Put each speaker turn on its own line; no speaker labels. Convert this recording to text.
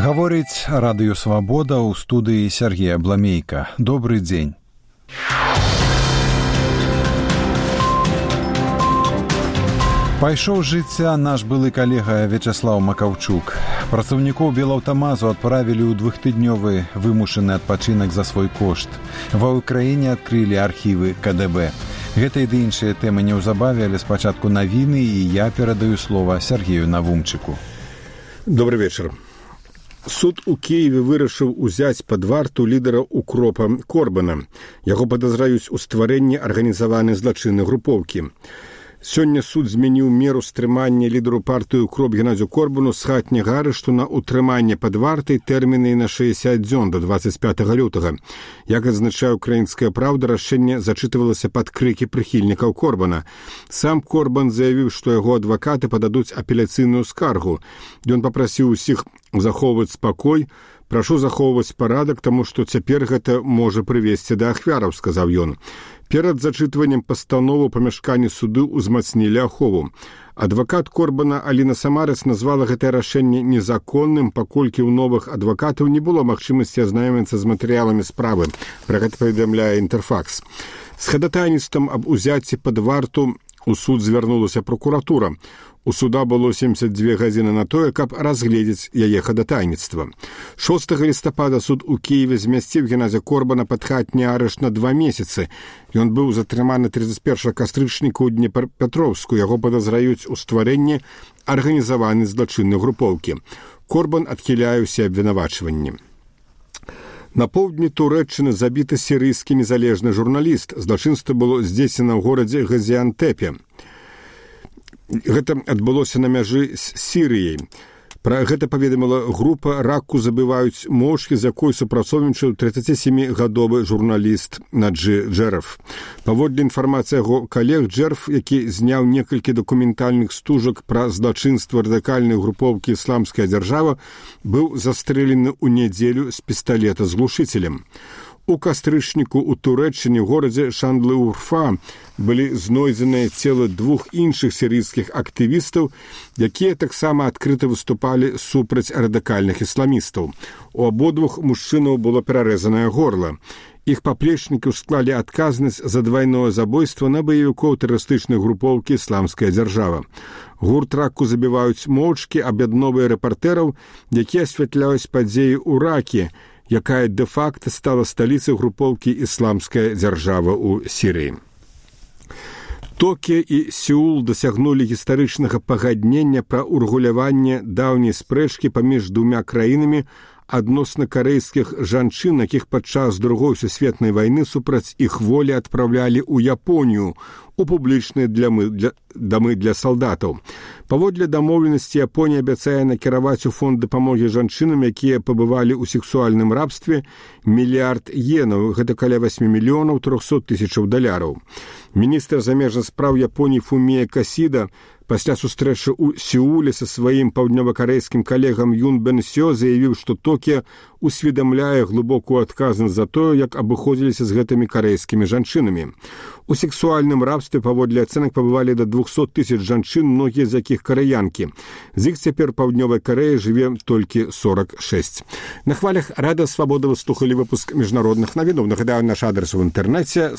Гаворыць радыё «Свабода» ў студыі Сергея Бламейка. Добрый дзень. Пайшоў з жыцця наш былы калега Вячаслаў Макаўчук. Працаўнікоў Белаўтамазу адправілі ў двухтыднёвы вымушаны адпачынак за свой кошт. Ва ўкраіне адкрылі архівы КДБ. Гэта і ды іншыя тэмы неўзабаве, але спачатку навіны, і я перадаю слова Сергею Навумчыку.
Добрый вечер. Суд у Киеве вырашыў узяць пад варту лідара укропа Корбана. Яго падазраюць у стварэнні арганізаванай злачыннай групоўкі. Сёння суд змяніў меру стрымання лідару партыі укроп Геннадзю Корбану з хатняга арышту на утрыманне пад вартай тэрміны на 60 дзён до 25 лютага. Як адзначае «Украінская праўда», рашэнне зачытывалася пад крыкі прыхільнікаў Корбана. Сам Корбан заявіў, што яго адвакаты пададуць апеляцыйную скаргу. Ён папрасіў усіх захоўваць спакой. «Прашу захоўваць парадак, таму што цяпер гэта можа прывесці да ахвяраў», сказаў ён. Перад зачытваннем пастановы ў памяшканні суду ўзмацнілі ахову. Адвакат Корбана Аліна Самарец назвала гэтае рашэнне незаконным, паколькі ў новых адвакатаў не было магчымасці азнаёміцца з матэрыяламі справы. Пра гэта паведамляе «Інтэрфакс». З хадатайніцтвам аб узяцці пад варту у суд звярнулася прокуратура. У суда было 72 гадзіны на тое, каб разгледзець яе хадатайніцтва. 6 лістапада суд у Киеве змясціў Геннадзя Корбана пад хатні арышт на 2 месяцы. Ён быў затрыманы 31 кастрычніка ў Днепрапетровску. Яго падазраюць у стварэнні арганізаванай злачыннай групоўкі. Корбан адхіляе ўсе абвінавачванні. На поўдні Турэччыны забіты сірыйскі незалежны журналіст. Злачынства было здзейснена ў горадзе Газіантэпе. Гэта адбылося на мяжы з Сірыяй. Пра гэта паведаміла група «Раку забываюць мошкі», з якой супрацоўнічаў 37-гадовы журналіст Наджи Джерф. Паводле інфармацыі яго калег, Джерф, які зняў некалькі дакументальных стужак пра злачынства радыкальнай групоўкі «Ісламская дзяржава», быў застрэлены ў нядзелю з пісталета з глушыцелем. У кастрычніку ў Турэччыне, горадзе Шандлы-Урфа, былі знойдзеныя целы 2 іншых сірыйскіх актывістаў, якія таксама адкрыта выступалі супраць радыкальных ісламістаў. У абодвух мужчынаў было перарэзанае горла. Іх паплечнікі склалі адказнасць за двайное забойства на баевікоў тэрарыстычнай групоўкі «Ісламская дзяржава». Гурт «Раку забіваюць моўчкі» аб'ядноўвае рэпартэраў, якія асвятляюць падзеі ў Ракі, якая дэ-факта стала сталіцай групоўкі «Ісламская дзяржава» ў Сірыі. Токіо і Сеул дасягнулі гістарычнага пагаднення пра ўрэгуляванне даўняй спрэчкі паміж двума краінамі адносна карэйскіх жанчын, якіх падчас Другой сусветнай вайны супраць іх волі адпраўлялі ў Японію у публічныя дамы для салдатаў. Паводле дамоўленасці Японія абяцае накіраваць у фонд дапамогі жанчынам, якія пабывалі ў сексуальным рабстве, $1 мільярд йенаў, гэта каля 8 мільёнаў 300 тысячаў даляраў. Міністр замежных спраў Японіі Фумія Касіда пасля сустрэчы ў Сеуле са сваім паўднёвакарэйскім калегам Юн Бен Сё заявіў, што Токіо усведамляе глыбокую адказнасць за тое, як абыходзіліся з гэтымі карэйскімі жанчынамі. У сексуальным рабстве паводле ацэнак пабывалі да 200 тысяч жанчын, многія з якіх карэянкі. З іх цяпер паўднёвай Карэі жыве толькі 46. На хвалях Радыё Свабода вы слухалі выпуск міжнародных навінаў. Нагадаю, наш адрес у інтэрнэце